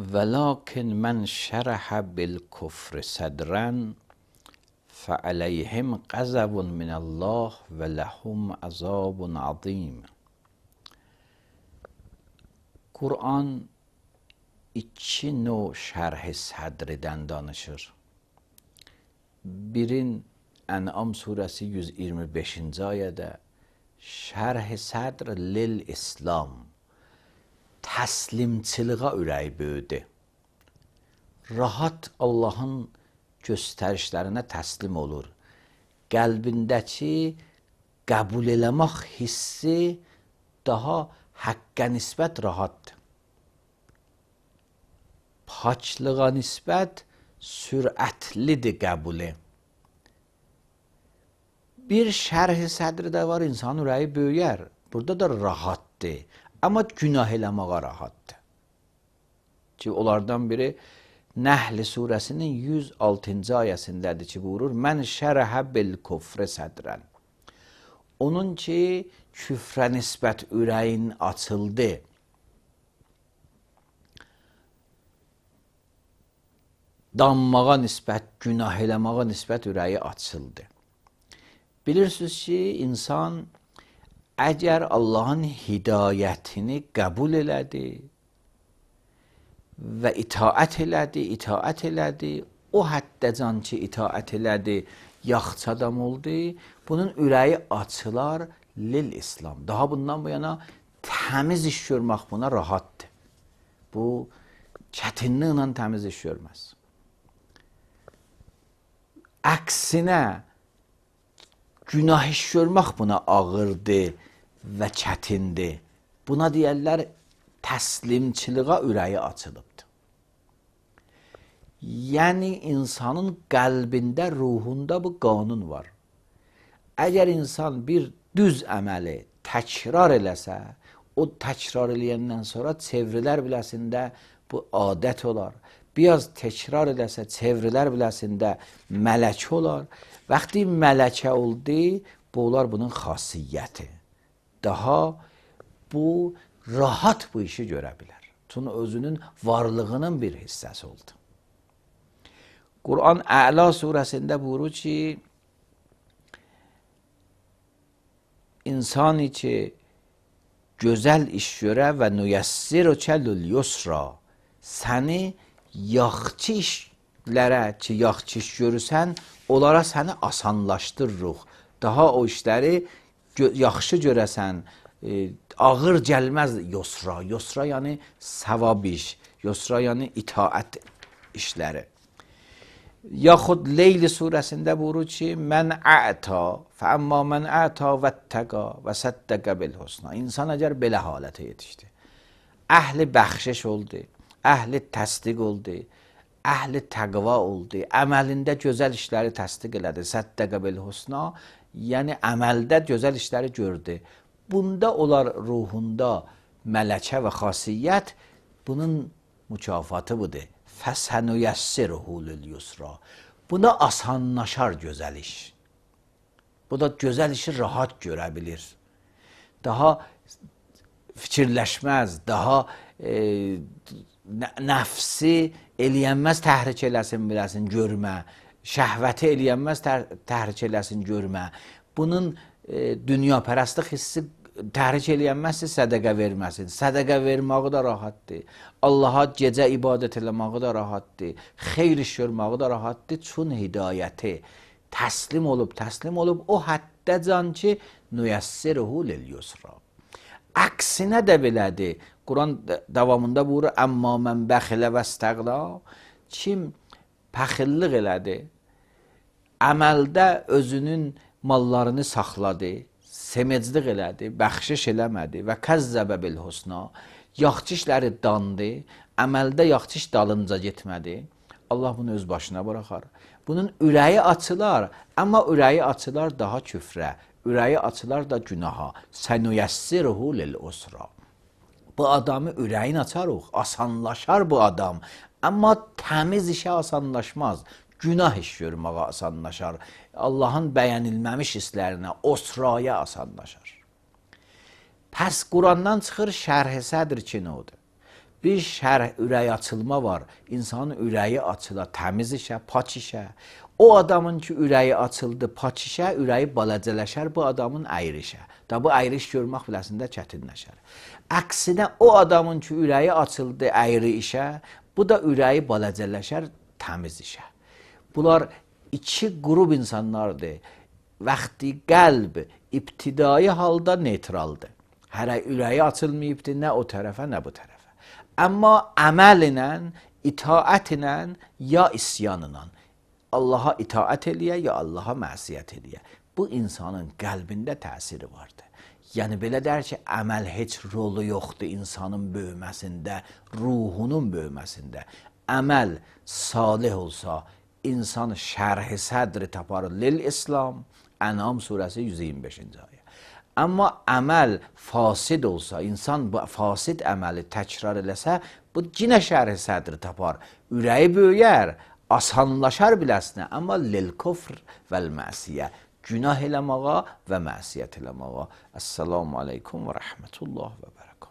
ولكن من شرح بالكفر صدرا فعليهم غضب من الله ولهم عذاب عظیم. Kur'an iki növ şərh-i sədrdən danışır. Birin Ən'am surəsi 125-ci ayədə şərh-i sədr lil-İslam, təslimçiliğə ürəyi böyüdü. Rahat Allahın göstərişlərinə təslim olur. Qəlbindəki qəbul eləmək hissi daha həqqə nisbət rahatdır. Paçlığa nisbət sürətlidir qəbuli. Bir şərh-i sədri də var, insan ürəyi böyüyər. Burada da rahatdır. Amma günah eləməyə rahatdır. Ki onlardan biri Nəhl surəsinin 106-cı ayəsindədir ki, buyurur: Mən şərəhə bil küfrə sədrən. Onun ki, küfrə nisbət ürəyin açıldı. Danmağa nisbət, günah eləməyə nisbət ürəyi açıldı. Bilirsiniz ki, insan əgər Allahın hidayətini qəbul elədi və itaət elədi, o həddəcan ki, itaət elədi, yaxşı adam oldu, bunun ürəyi açılar lil-İslam. Daha bundan bu yana təmiz iş görmək buna rahatdır. Bu, çətinliklə təmiz iş görməz. Əksinə, günah iş görmək buna ağırdır və çətindir. Buna deyərlər, təslimçiliğə ürəyi açılıbdır. Yəni, insanın qəlbində, ruhunda bu qanun var. Əgər insan bir düz əməli təkrar eləsə, o təkrar eləyəndən sonra çevrilər biləsində bu adət olar. Biraz təkrar eləsə, çevrilər biləsində mələkə olar. Vaxtı mələkə oldu, bu olar bunun xasiyyəti. Daha bu rahat bu işi görə bilər. Çünki özünün varlığının bir hissəsi oldu. Kur'an Əla surəsində buyurur ki, insan ki gözəl iş görə və nüyəssirükə lül-yusra, səni yaxşı işlərə ki, yaxşı iş görürsən, onlara səni asanlaşdırırıq. Daha o işləri yaxşı görəsən, ağır gəlməz yusra. Yusra yəni savab iş, yusra yəni itaət işləri. Yaxud Leyl surəsində buyurur ki, mən ə'ta, fəəmmə mən ə'ta vəttəqa və səddəqə bil-husna. İnsan əgər belə halətə yetişdi, əhli bəxşiş oldu, əhli təsdiq oldu, əhli təqva oldu, əməlində gözəl işləri təsdiq elədi, səddəqə bil-husna, yəni əməldə gözəl işləri gördü. Bunda olar ruhunda mələkə və xasiyyət, bunun mükafatı budur. Fəsənüyəssirhu lül-yusra. Buna asanlaşar gözəl iş. Bu da gözəl işi rahat görə bilir. Daha fikirləşməz, daha nəfsi eləyənməz təhrik eləsin, biləsin, görmə. Şəhvəti eləyənməz təhrik eləsin, görmə. Bunun dünyapərəstlik hissi təhrik eləyənməzsə sədəqə verməsin. Sədəqə verməyi da rahatdır. Allaha gecə ibadət eləməyi da rahatdır. Xeyr iş görməyi da rahatdır. Çün hidayəti təslim olub, o həddəcan ki, nüyəssirhu lil-yusra. Əksinə də belədir. Quran davamında buyurur, əmmə mən bəxilə və istəqla, kim pəxillik elədi, əməldə özünün mallarını saxladı, semeclik elədi, bəxşiş eləmədi və kəzzəbə bil-husna, yaxşı işləri dandı, əməldə yaxşı iş dalınca getmədi, Allah bunu öz başına bıraxar. Bunun ürəyi açılar, amma ürəyi açılar daha küfrə, ürəyi açılar da günaha. Sənüyəssirhu lil-usra. Bu adamı ürəyin açarıq, asanlaşar bu adam, amma təmiz işə asanlaşmaz. Günah iş görməyə asanlaşar. Allahın bəyənilməmiş hisslərinə, osraya asanlaşar. Pəs Qurandan çıxır şərh-i sədr ki, nə odur? bir şərh, ürək açılma var. İnsanın ürəyi açıla, təmiz işə, paç işə. O adamın ki, ürəyi açıldı, paç işə, ürəyi balacələşər bu adamın əyri işə. Da bu əyri iş görmək biləsində çətinləşər. Əksinə o adamın ki, ürəyi açıldı əyri işə, bu da ürəyi balacələşər təmiz işə. Bunlar iki qrup insanlardır. Vaxtı qəlb ibtidai halda neytraldır. Hələ ürəyi açılmayıbdır nə o tərəfə, nə bu tərəfə. Amma əməl ilə, itaət ilə, ya isyan ilə Allaha itaət eləyə, ya Allaha məsiyət eləyə. Bu insanın qəlbində təsiri vardır. Yəni belə der ki, əməl heç rolu yoxdur insanın böyüməsində, ruhunun böyüməsində. Əməl salih olsa, insan şərh-i sədri tapar lil-İslam, Ənam surəsi 125-ci ayə. Amma əməl fasid olsa, insan bu fasid əməli təkrar eləsə, bu cinə şərh-i sədri tapar. Ürəyi böyüyər, asanlaşar biləsinə, amma lil-kufr vəl-məsiyə, günah eləməğa və məsiyyət eləməğa. Əssalamu aleykum və rəhmətullah və bərəkət.